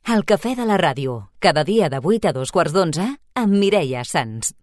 El cafè de la ràdio, cada dia de 8 a 2:15 amb Mireia Sans.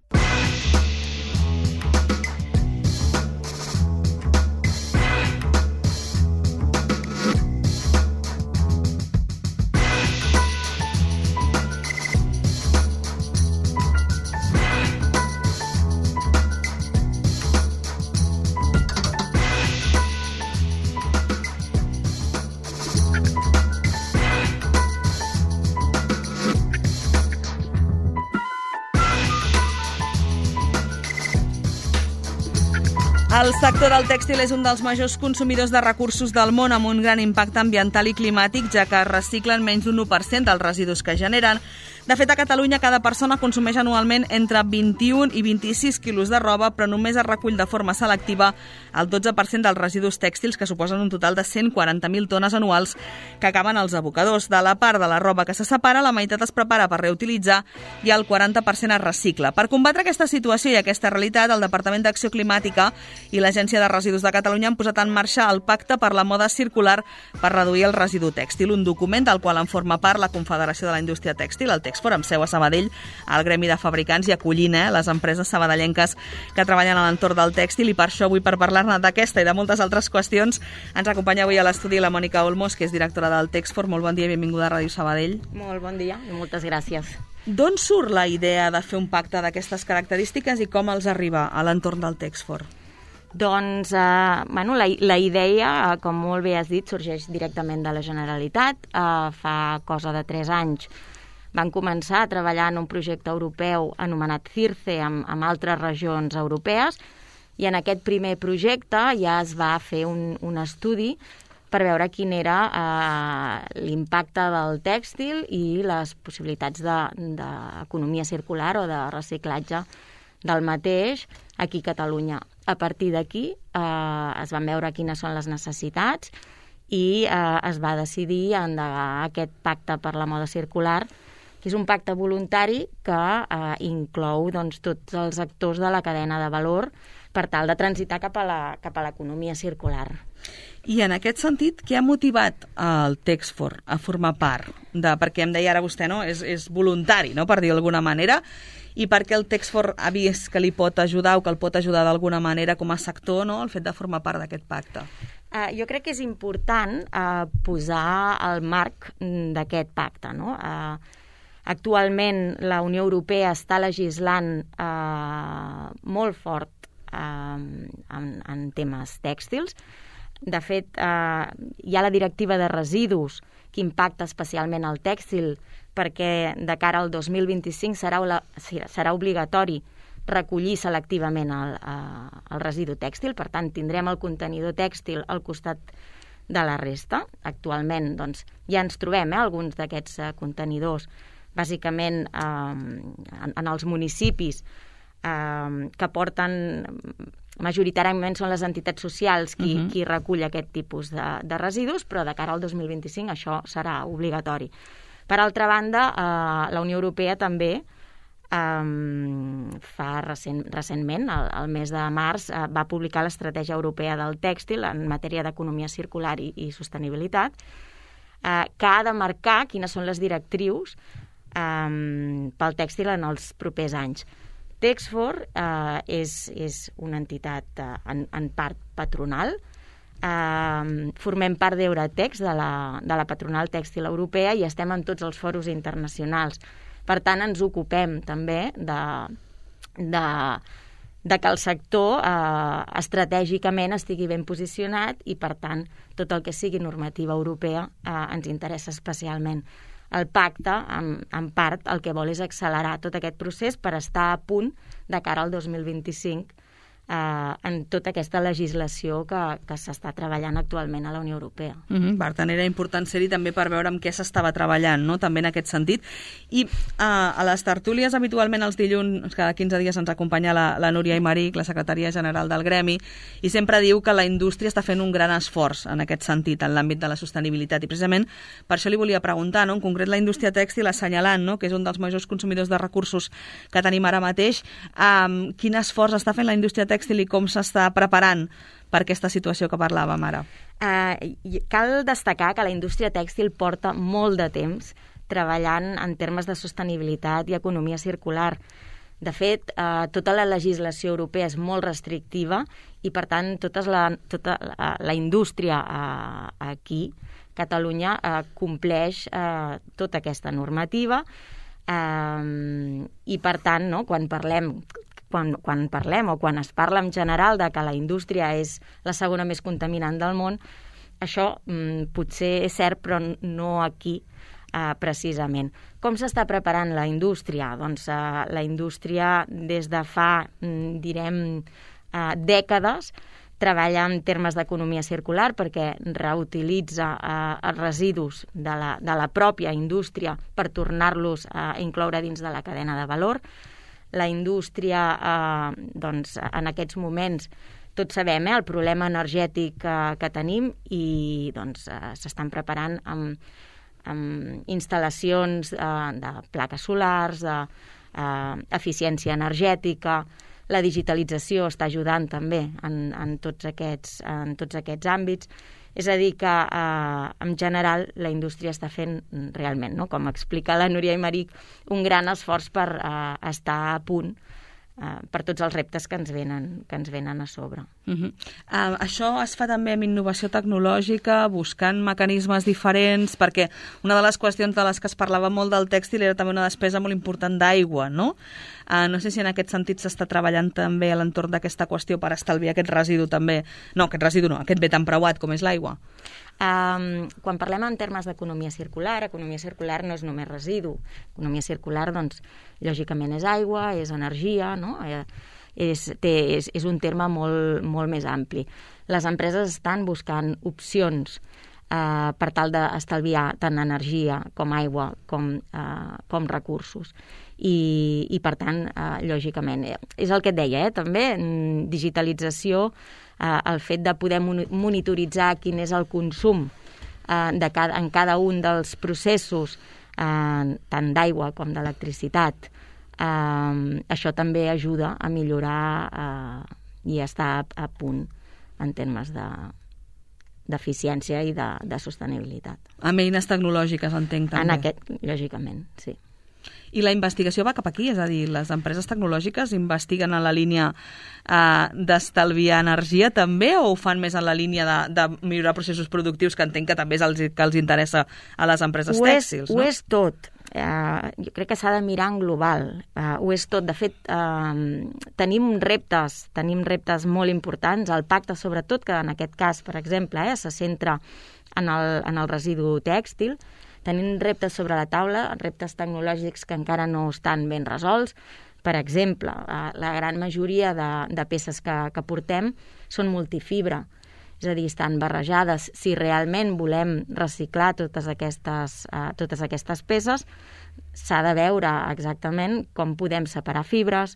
El sector del tèxtil és un dels majors consumidors de recursos del món amb un gran impacte ambiental i climàtic, ja que reciclen menys d'un 1% dels residus que generen. De fet, a Catalunya cada persona consumeix anualment entre 21 i 26 quilos de roba, però només es recull de forma selectiva el 12% dels residus tèxtils, que suposen un total de 140.000 tones anuals que acaben als abocadors. De la part de la roba que se separa, la meitat es prepara per reutilitzar i el 40% es recicla. Per combatre aquesta situació i aquesta realitat, el Departament d'Acció Climàtica i l'Agència de Residus de Catalunya han posat en marxa el Pacte per la Moda Circular per reduir el residu tèxtil, un document del qual en forma part la Confederació de la Indústria Tèxtil, el Texfor, amb seu a Sabadell, el Gremi de Fabricants, i acollint les empreses sabadellenques que treballen a l'entorn del tèxtil. I per això avui, per parlar-ne d'aquesta i de moltes altres qüestions, ens acompanya avui a l'estudi la Mònica Olmos, que és directora del Texfor. Molt bon dia i benvinguda a Ràdio Sabadell. Molt bon dia i moltes gràcies. D'on surt la idea de fer un pacte d'aquestes característiques i com els arriba a l'entorn del Texfor? Doncs, la idea, com molt bé has dit, sorgeix directament de la Generalitat. Fa cosa de 3 anys van començar a treballar en un projecte europeu anomenat CIRCE amb altres regions europees, i en aquest primer projecte ja es va fer un estudi per veure quin era l'impacte del tèxtil i les possibilitats d'economia circular o de reciclatge del mateix aquí a Catalunya. A partir d'aquí es van veure quines són les necessitats i es va decidir endegar aquest pacte per la moda circular, que és un pacte voluntari que inclou tots els actors de la cadena de valor per tal de transitar cap a l'economia circular. I en aquest sentit, què ha motivat el Texfor a formar part? Perquè em deia ara vostè, no? És voluntari, no?, per dir d'alguna manera, i perquè el Texfor ha vist que li pot ajudar o que el pot ajudar d'alguna manera com a sector, no?, el fet de formar part d'aquest pacte. Jo crec que és important posar el marc d'aquest pacte, no? Actualment la Unió Europea està legislant molt fort en temes tèxtils. De fet, hi ha la directiva de residus que impacta especialment el tèxtil, perquè de cara al 2025 serà obligatori recollir selectivament el residu tèxtil. Per tant, tindrem el contenidor tèxtil al costat de la resta. Actualment ja ens trobem alguns d'aquests contenidors, bàsicament en els municipis, que porten, majoritàriament són les entitats socials qui recull aquest tipus de residus, però de cara al 2025 això serà obligatori. Per altra banda, la Unió Europea també recentment, el mes de març, va publicar l'Estratègia Europea del Tèxtil en matèria d'economia circular i sostenibilitat, que ha de marcar quines són les directrius pel tèxtil en els propers anys. Texfor és una entitat en part patronal. Formem part d'Euratex, de la patronal tèxtil europea, i estem en tots els foros internacionals. Per tant, ens ocupem també de que el sector estratègicament estigui ben posicionat i, per tant, tot el que sigui normativa europea ens interessa especialment. El pacte, en part, el que vol és accelerar tot aquest procés per estar a punt de cara al 2025 en tota aquesta legislació que s'està treballant actualment a la Unió Europea. Per tant, era important ser-hi també per veure amb què s'estava treballant, no?, també en aquest sentit. I a les tertúlies, habitualment els dilluns, cada 15 dies ens acompanya la Núria Aymeric, la secretària general del Gremi, i sempre diu que la indústria està fent un gran esforç en aquest sentit, en l'àmbit de la sostenibilitat. I precisament per això li volia preguntar, no?, en concret la indústria tèxtil, assenyalant, no?, que és un dels majors consumidors de recursos que tenim ara mateix, quin esforç està fent la indústria tèxtil i com s'està preparant per aquesta situació que parlàvem ara? Cal destacar que la indústria tèxtil porta molt de temps treballant en termes de sostenibilitat i economia circular. De fet, tota la legislació europea és molt restrictiva i, per tant, tota la indústria aquí, Catalunya, compleix tota aquesta normativa i, per tant, no, quan parlem o quan es parla en general de que la indústria és la segona més contaminant del món, això potser és cert, però no aquí precisament. Com s'està preparant la indústria? Doncs la indústria des de fa, dècades, treballa en termes d'economia circular perquè reutilitza els residus de la pròpia indústria per tornar-los a incloure dins de la cadena de valor. La indústria, doncs, en aquests moments, tots sabem el problema energètic que tenim i doncs, s'estan preparant amb instal·lacions de plaques solars, d'eficiència energètica. La digitalització està ajudant també en tots aquests àmbits. És a dir, que en general la indústria està fent realment, no? Com explica la Núria Aymeric, un gran esforç per estar a punt per tots els reptes que ens venen a sobre. Això es fa també amb innovació tecnològica, buscant mecanismes diferents, perquè una de les qüestions de les que es parlava molt del tèxtil era també una despesa molt important d'aigua, no? No sé si en aquest sentit s'està treballant també a l'entorn d'aquesta qüestió per estalviar aquest residu també. No, aquest bé tan preuat com és l'aigua. Quan parlem en termes d'economia circular no és només residu. Economia circular, doncs, lògicament és aigua, és energia, no? És un terme molt més ampli. Les empreses estan buscant opcions per tal d'estalviar tant energia com aigua com recursos. I per tant, lògicament, és el que et deia, també, digitalització, el fet de poder monitoritzar quin és el consum en cada un dels processos, tant d'aigua com d'electricitat. Això també ajuda a millorar i a estar a punt en termes d'eficiència i de sostenibilitat. Amb eines tecnològiques, entenc, també. Lògicament, sí. I la investigació va cap aquí, és a dir, les empreses tecnològiques investiguen en la línia d'estalviar energia també, o ho fan més en la línia de millorar processos productius, que entenc que també és el que els interessa a les empreses tèxtils, no? Ho és tot. Jo crec que s'ha de mirar en global. Ho és tot. De fet, tenim reptes molt importants. El pacte, sobretot, que en aquest cas, per exemple, se centra en el residu tèxtil. Tenim reptes sobre la taula, reptes tecnològics que encara no estan ben resolts. Per exemple, la gran majoria de peces que portem són multifibra, és a dir, estan barrejades. Si realment volem reciclar totes aquestes peces, s'ha de veure exactament com podem separar fibres,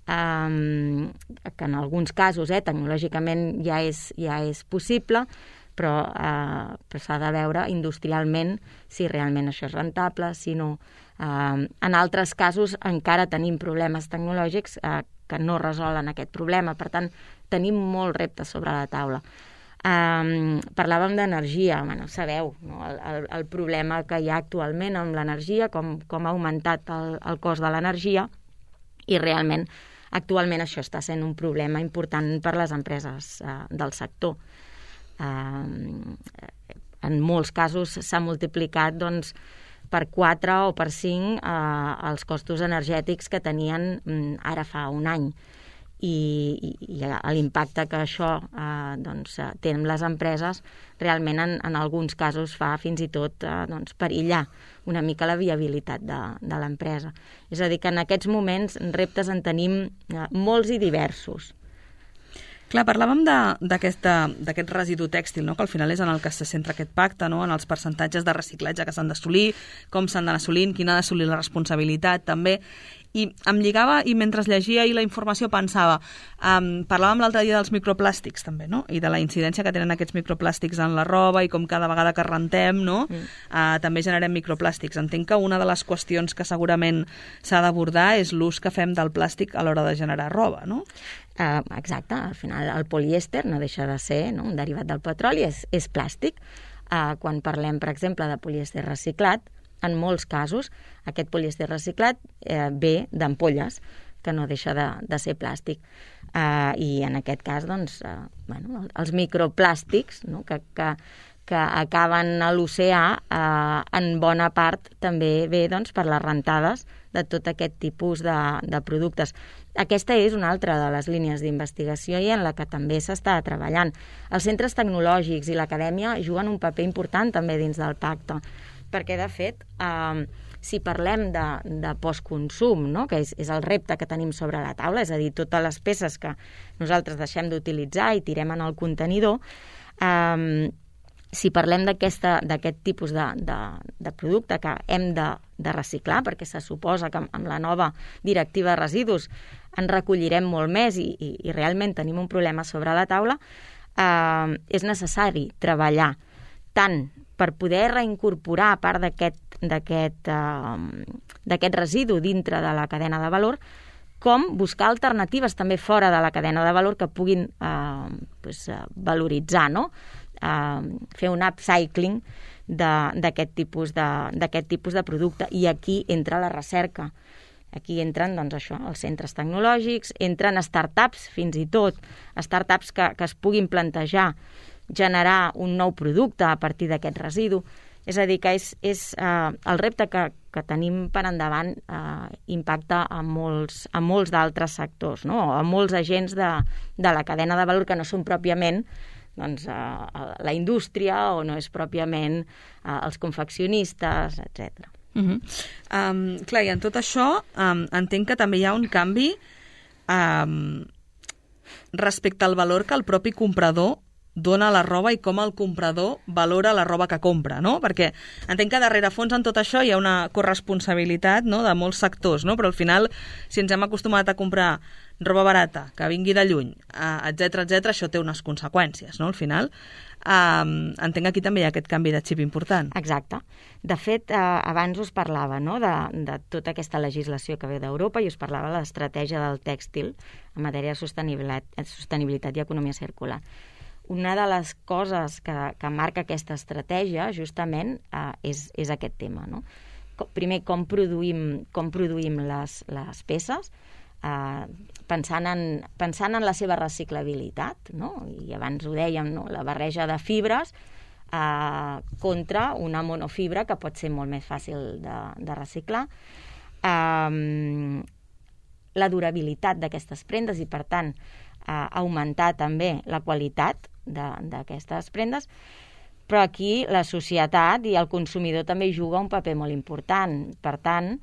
que en alguns casos tecnològicament ja és possible, però s'ha de veure industrialment si realment això és rentable, si no. En altres casos encara tenim problemes tecnològics que no resolen aquest problema. Per tant, tenim molts reptes sobre la taula. Parlàvem d'energia. Sabeu, no? El problema que hi ha actualment amb l'energia, com ha augmentat el cost de l'energia, i realment actualment això està sent un problema important per les empreses del sector. En molts casos s'ha multiplicat per 4 o per 5 els costos energètics que tenien ara fa un any. I l'impacte que això té en les empreses realment en alguns casos fa fins i tot perillar una mica la viabilitat de l'empresa. És a dir, que en aquests moments reptes en tenim molts i diversos. Clar, parlàvem d'aquest residu tèxtil, no? Que al final és en el que se centra aquest pacte, no? En els percentatges de reciclatge que s'han d'assolir, com s'han d'anar assolint, quina ha d'assolir la responsabilitat, també. I em lligava, i mentre llegia i la informació pensava, parlàvem l'altre dia dels microplàstics també, no? I de la incidència que tenen aquests microplàstics en la roba i com cada vegada que rentem, no? També generem microplàstics. Entenc que una de les qüestions que segurament s'ha d'abordar és l'ús que fem del plàstic a l'hora de generar roba, no? Exacte, al final el polièster no deixa de ser un derivat del petroli, és plàstic. Quan parlem, per exemple, de polièster reciclat, en molts casos, aquest polièster reciclat ve d'ampolles, que no deixa de ser plàstic. I en aquest cas, doncs, els microplàstics, no?, que acaben a l'oceà, en bona part també ve, doncs, per les rentades de tot aquest tipus de productes. Aquesta és una altra de les línies d'investigació i en la que també s'està treballant. Els centres tecnològics i l'acadèmia juguen un paper important també dins del pacte, perquè, de fet, si parlem de postconsum, no?, que és el repte que tenim sobre la taula, és a dir, totes les peces que nosaltres deixem d'utilitzar i tirem en el contenidor, si parlem d'aquest tipus de producte que hem de reciclar, perquè se suposa que amb la nova directiva de residus en recollirem molt més i realment tenim un problema sobre la taula, és necessari treballar tant per poder reincorporar part d'aquest residu dintre de la cadena de valor, com buscar alternatives també fora de la cadena de valor que puguin valoritzar, no?, fer un upcycling d'aquest tipus de producte. I aquí entra la recerca. Aquí entren, doncs, els centres tecnològics, entren startups, fins i tot, startups que es puguin plantejar generar un nou producte a partir d'aquest residu. És a dir, que és el repte que tenim per endavant impacta a molts d'altres sectors, no?, a molts agents de la cadena de valor que no són pròpiament la indústria o no és pròpiament els confeccionistes, etc. Clar, i en tot això entenc que també hi ha un canvi respecte al valor que el propi comprador dona a la roba i com el comprador valora la roba que compra, no? Perquè entenc que darrere fons en tot això hi ha una corresponsabilitat, no?, de molts sectors, no? Però al final, si ens hem acostumat a comprar roba barata, que vingui de lluny, etc, això té unes conseqüències, no?, al final. Entenc que aquí també hi ha aquest canvi de xip important. Exacte. De fet, abans us parlava, no?, de tota aquesta legislació que ve d'Europa i us parlava de l'estratègia del tèxtil en matèria de sostenibilitat i economia circular. Una de les coses que marca aquesta estratègia, justament, és aquest tema, no? Primer, com produïm les peces, pensant en la seva reciclabilitat, no? I abans ho dèiem, no?, la barreja de fibres contra una monofibra que pot ser molt més fàcil de reciclar. La durabilitat d'aquestes prendes i, per tant, augmentar també la qualitat d'aquestes prendes, però aquí la societat i el consumidor també juga un paper molt important. Per tant,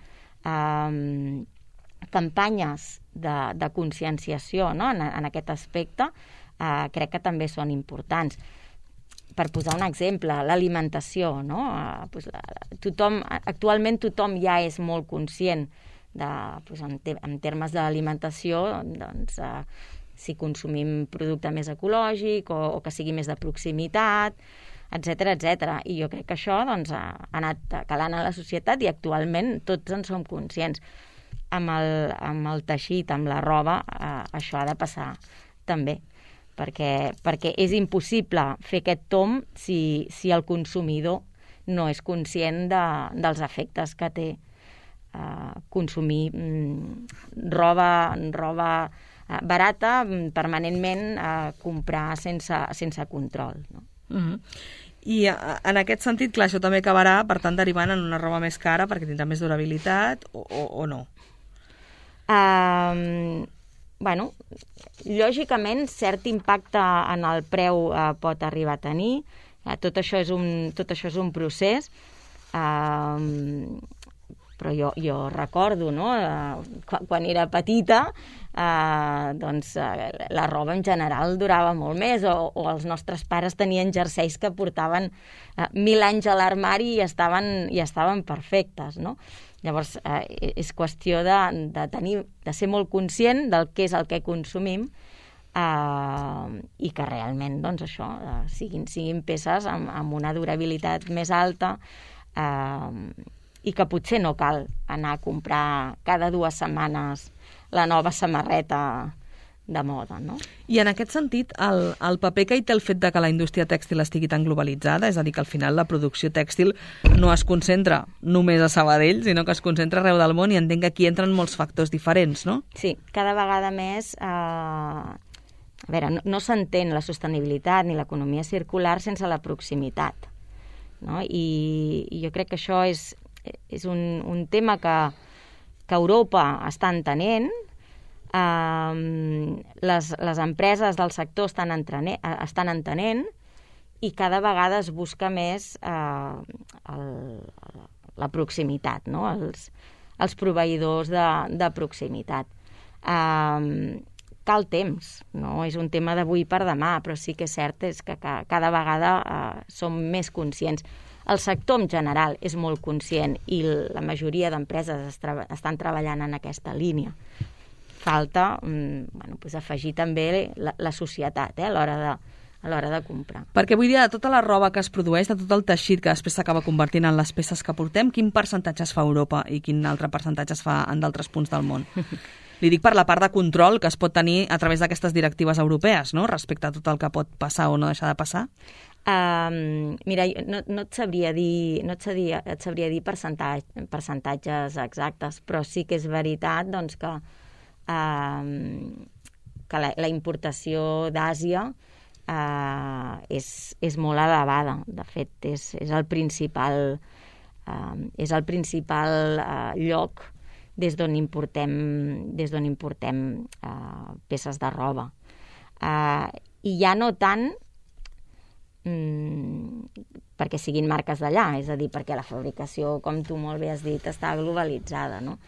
campanyes de conscienciació, no?, en aquest aspecte crec que també són importants. Per posar un exemple, l'alimentació, no? Actualment tothom ja és molt conscient en termes d'alimentació, doncs, si consumim producte més ecològic o que sigui més de proximitat, etc. I jo crec que això, doncs, ha anat calant a la societat i actualment tots en som conscients. Amb el teixit, amb la roba, això ha de passar també, perquè és impossible fer aquest tomb si el consumidor no és conscient dels efectes que té consumir roba barata, permanentment comprar sense control, no? I en aquest sentit, clar, això també acabarà, per tant, derivant en una roba més cara perquè tindrà més durabilitat o no? Bueno, lògicament, cert impacte en el preu pot arribar a tenir. Tot això és un procés. Però jo recordo, no?, quan era petita, doncs la roba en general durava molt més, o els nostres pares tenien jerseis que portaven 1000 anys a l'armari i estaven perfectes, no? Llavors, és qüestió de ser molt conscient del que és el que consumim i que realment, doncs, això, siguin peces amb una durabilitat més alta, i que potser no cal anar a comprar cada 2 setmanes la nova samarreta de moda, no? I en aquest sentit, el paper que hi té el fet de que la indústria tèxtil estigui tan globalitzada, és a dir, que al final la producció tèxtil no es concentra només a Sabadell, sinó que es concentra arreu del món, i entenc que aquí entren molts factors diferents, no? Sí, cada vegada més... A veure, no s'entén la sostenibilitat ni l'economia circular sense la proximitat, no? I jo crec que això és un tema que Europa està entenent. Les empreses del sector estan entenent i cada vegada es busca més la proximitat, no? Els proveïdors de proximitat. Cal temps, no és un tema d'avui per demà, però sí que és cert que cada vegada som més conscients. El sector en general és molt conscient i la majoria d'empreses estan treballant en aquesta línia. Falta afegir també la societat a l'hora de comprar. Perquè vull dir, de tota la roba que es produeix, de tot el teixit que després s'acaba convertint en les peces que portem, quin percentatge es fa a Europa i quin altre percentatge es fa en d'altres punts del món? Li dic per la part de control que es pot tenir a través d'aquestes directives europees, no?, respecte a tot el que pot passar o no deixar de passar. Mira, no et sabria dir percentatges exactes, però sí que és veritat doncs, que la importació d'Àsia és molt elevada. De fet, és el principal lloc des d'on importem peces de roba. I ja no tant perquè siguin marques d'allà, és a dir, perquè la fabricació, com tu molt bé has dit, està globalitzada, no?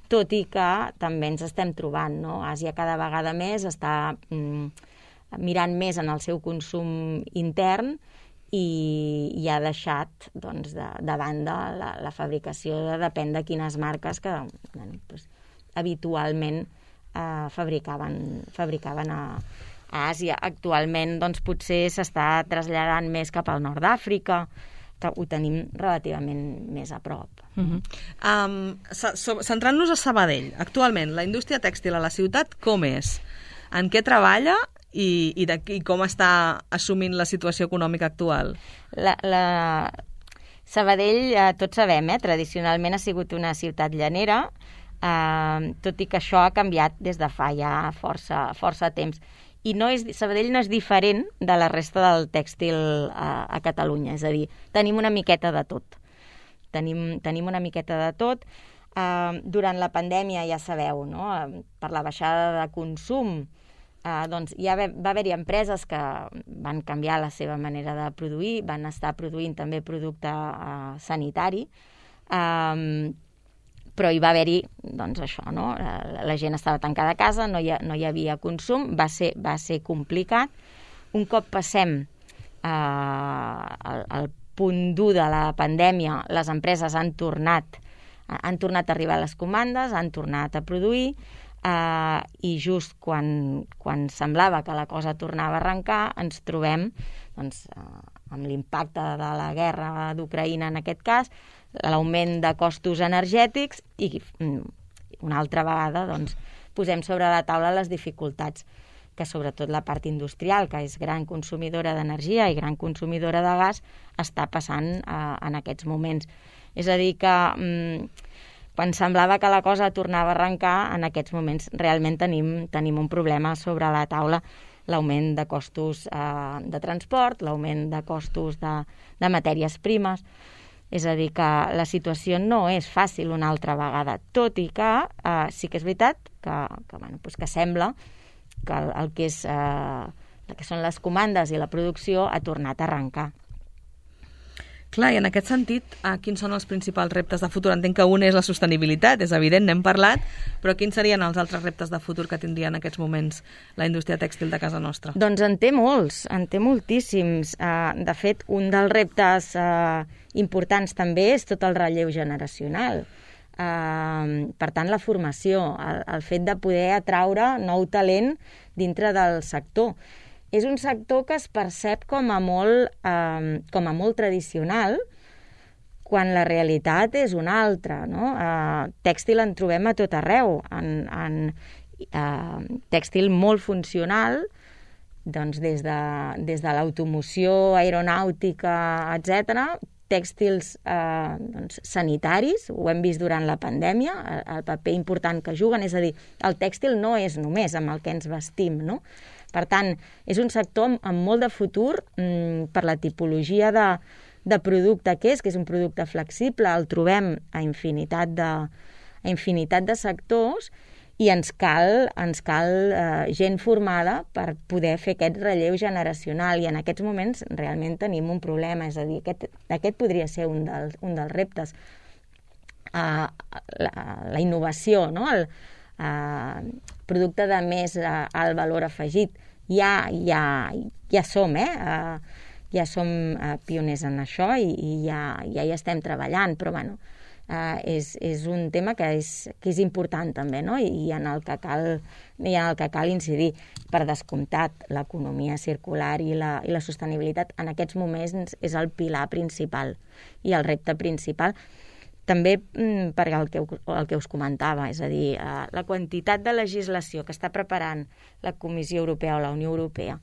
Tot i que també ens estem trobant, no? Àsia cada vegada més està mirant més en el seu consum intern i ha deixat doncs, de banda la fabricació, depèn de quines marques que habitualment fabricaven a Àsia. Actualment doncs, potser s'està traslladant més cap al nord d'Àfrica, que ho tenim relativament més a prop. Centrant-nos a Sabadell, actualment, la indústria tèxtil a la ciutat com és? En què treballa i com està assumint la situació econòmica actual? Sabadell, tots sabem, tradicionalment ha sigut una ciutat llanera, tot i que això ha canviat des de fa ja força temps. I Sabadell no és diferent de la resta del tèxtil a Catalunya, és a dir, tenim una miqueta de tot. Tenim una miqueta de tot. Durant la pandèmia, ja sabeu, no? Per la baixada de consum, doncs ja va haver-hi empreses que van canviar la seva manera de produir, van estar produint també producte sanitari, però hi va haver-hi, doncs això, no? La gent estava tancada a casa, no hi havia consum, va ser complicat. Un cop passem al punt dur de la pandèmia, les empreses han tornat a arribar a les comandes, han tornat a produir, i just quan semblava que la cosa tornava a arrencar, ens trobem doncs, amb l'impacte de la guerra d'Ucraïna en aquest cas, l'augment de costos energètics i una altra vegada doncs, posem sobre la taula les dificultats que sobretot la part industrial, que és gran consumidora d'energia i gran consumidora de gas, està passant en aquests moments. És a dir que quan semblava que la cosa tornava a arrencar, en aquests moments realment tenim un problema sobre la taula, l'augment de costos de transport, l'augment de costos de matèries primes. És a dir, que la situació no és fàcil una altra vegada, tot i que sí que és veritat que sembla que el que són les comandes i la producció ha tornat a arrencar. Clar, i en aquest sentit, quins són els principals reptes de futur? Entenc que un és la sostenibilitat, és evident, n'hem parlat, però quins serien els altres reptes de futur que tindria en aquests moments la indústria tèxtil de casa nostra? Doncs en té molts, en té moltíssims. De fet, un dels reptes importants també és tot el relleu generacional. Per tant, la formació, el fet de poder atraure nou talent dintre del sector. És un sector que es percep com a molt tradicional, quan la realitat és una altra, no? Tèxtil en trobem a tot arreu, tèxtil molt funcional, doncs des de l'automoció, aeronàutica, etc., tèxtils sanitaris, ho hem vist durant la pandèmia, el paper important que juguen, és a dir, el tèxtil no és només amb el que ens vestim, no? Per tant, és un sector amb molt de futur per la tipologia de producte que és un producte flexible, el trobem a infinitat de sectors, i ens cal gent formada per poder fer aquest relleu generacional, i en aquests moments realment tenim un problema, és a dir, aquest podria ser un dels reptes. La innovació, no? El producte de més alt valor afegit, ja som, ja som pioners en això i ja hi estem treballant, però bueno, és un tema que és important també, no? I en el que cal incidir. Per descomptat, l'economia circular i la sostenibilitat en aquests moments és el pilar principal i el repte principal. També per el que us comentava, és a dir, la quantitat de legislació que està preparant la Comissió Europea o la Unió Europea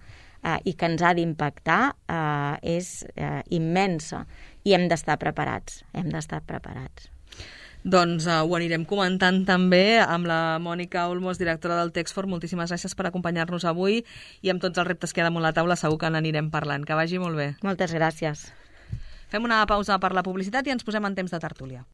i que ens ha d'impactar és immensa, i hem d'estar preparats, Doncs ho anirem comentant també amb la Mònica Olmos, directora del Texfor. Moltíssimes gràcies per acompanyar-nos avui, i amb tots els reptes que hi ha damunt la taula segur que n'anirem parlant. Que vagi molt bé. Moltes gràcies. Fem una pausa per la publicitat i ens posem en temps de tertúlia.